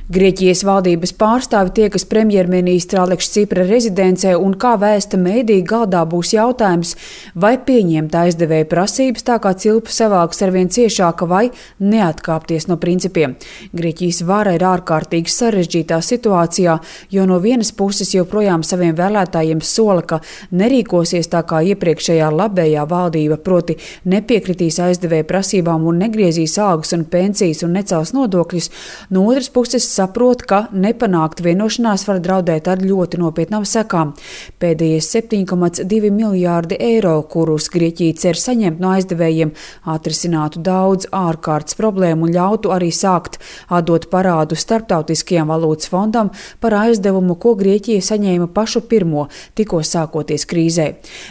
Grieķijas valdības pārstāvi tiekas premjerministra Aleksa Cipra rezidencē un, kā vēsta mēdī, galdā būs jautājums, vai pieņemt aizdevēja prasības tā kā cilpa savalks arvien ciešāka vai neatkāpties no principiem. Grieķijas vara ir ārkārtīgi sarežģītā situācijā, jo no vienas puses joprojām saviem vēlētājiem sola, ka nerīkosies tā kā iepriekšējā labējā valdība, proti nepiekritīs aizdevēja prasībām un negriezīs algas un pensijas un necels nodokļus. No otras puses saprot, ka nepanākt vienošanās var draudēt ar ļoti nopietnām sekām. Pēdējie 7,2 miljārdi eiro, kurus Grieķija cer saņemt no aizdevējiem, atrisinātu daudz ārkārtas problēmu un ļautu arī sākt atdot parādu Starptautiskajam valūtas fondam par aizdevumu, ko Grieķija saņēma pašu pirmo, tikko sākoties krīzē.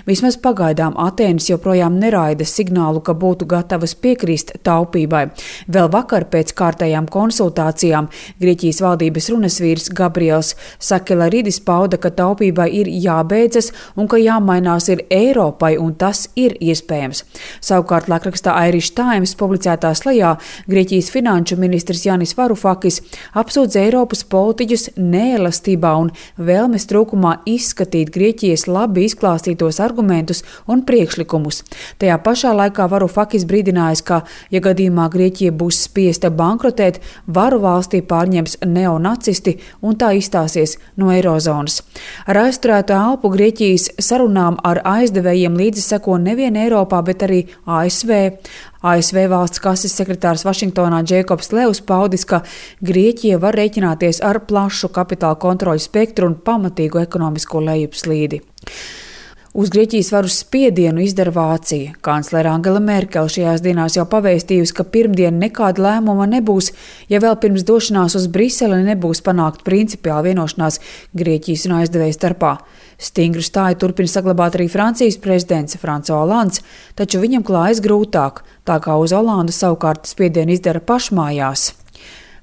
Vismaz pagaidām Atēnas joprojām neraida signālu, ka būtu gatavas piekrist taupībai. Vēl vakar pēc kārtējām konsultācijām Grieķijas valdības runasvīrs Gabriels Sakelaridis pauda, ka taupībai ir jābeidzas un ka jāmainās ir Eiropai, un tas ir iespējams. Savukārt laikrakstā Irish Times publicētā slajā Grieķijas finanšu ministrs Jānis Varufakis apsūdz Eiropas politiķus neelastībā un vēlmes trūkumā izskatīt Grieķijas labi izklāstītos argumentus un priekšlikumus. Tajā pašā laikā Varufakis brīdinājis, ka, ja gadījumā Grieķija būs spiesta bankrotēt, varu valstī pārņems neonacisti un tā izstāsies no eirozonas. Ar aizturētu elpu Grieķijas sarunām ar aizdevējiem līdzi seko nevien Eiropā, bet arī ASV. ASV valsts kases sekretārs Vašingtonā Džeikobs Levs paudis, ka Grieķija var rēķināties ar plašu kapitāla kontroļu spektru un pamatīgu ekonomisko lejupslīdi. Uz Grieķijas varu spiedienu izdara Vācija. Kanclere Angela Merkele šajās dienās jau pavēstījusi, ka pirmdien nekāda lēmuma nebūs, ja vēl pirms došanās uz Briseli nebūs panākt principiāla vienošanās Grieķijas un aizdevēja starpā. Stingru stāju turpina saglabāt arī Francijas prezidents François Hollands, taču viņam klājas grūtāk, tā kā uz Holandu savukārt spiedienu izdara pašmājās.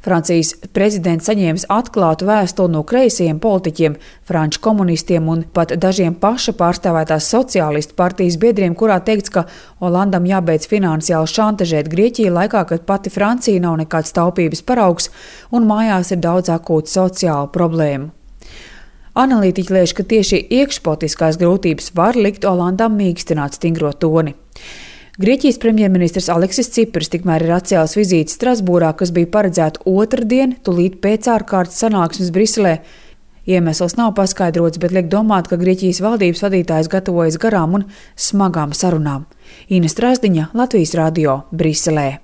Francijas prezidents saņēmis atklātu vēstuli no kreisajiem politiķiem, franču komunistiem un pat dažiem paša pārstāvētās sociālistu partijas biedriem, kurā teikts, ka Hollandam jābeidz finansiāli šantažēt Grieķiju laikā, kad pati Francija nav nekāds taupības paraugs un mājās ir daudz akūtu sociālu problēmu. Analītiķi lēš, ka tieši iekšpolitiskās grūtības var likt Hollandam mīkstināt stingro toni. Grieķijas premjerministrs Aleksis Ciprs tikmēr ir atcēlis vizīti Strasbūrā, kas bija paredzēta otrdien, tūlīt pēc ārkārtas sanāksmes Briselē. Iemesls nav paskaidrots, bet liek domāt, ka Grieķijas valdības vadītājs gatavojas garām un smagām sarunām. Ina Strasdiņa, Latvijas radio, Briselē.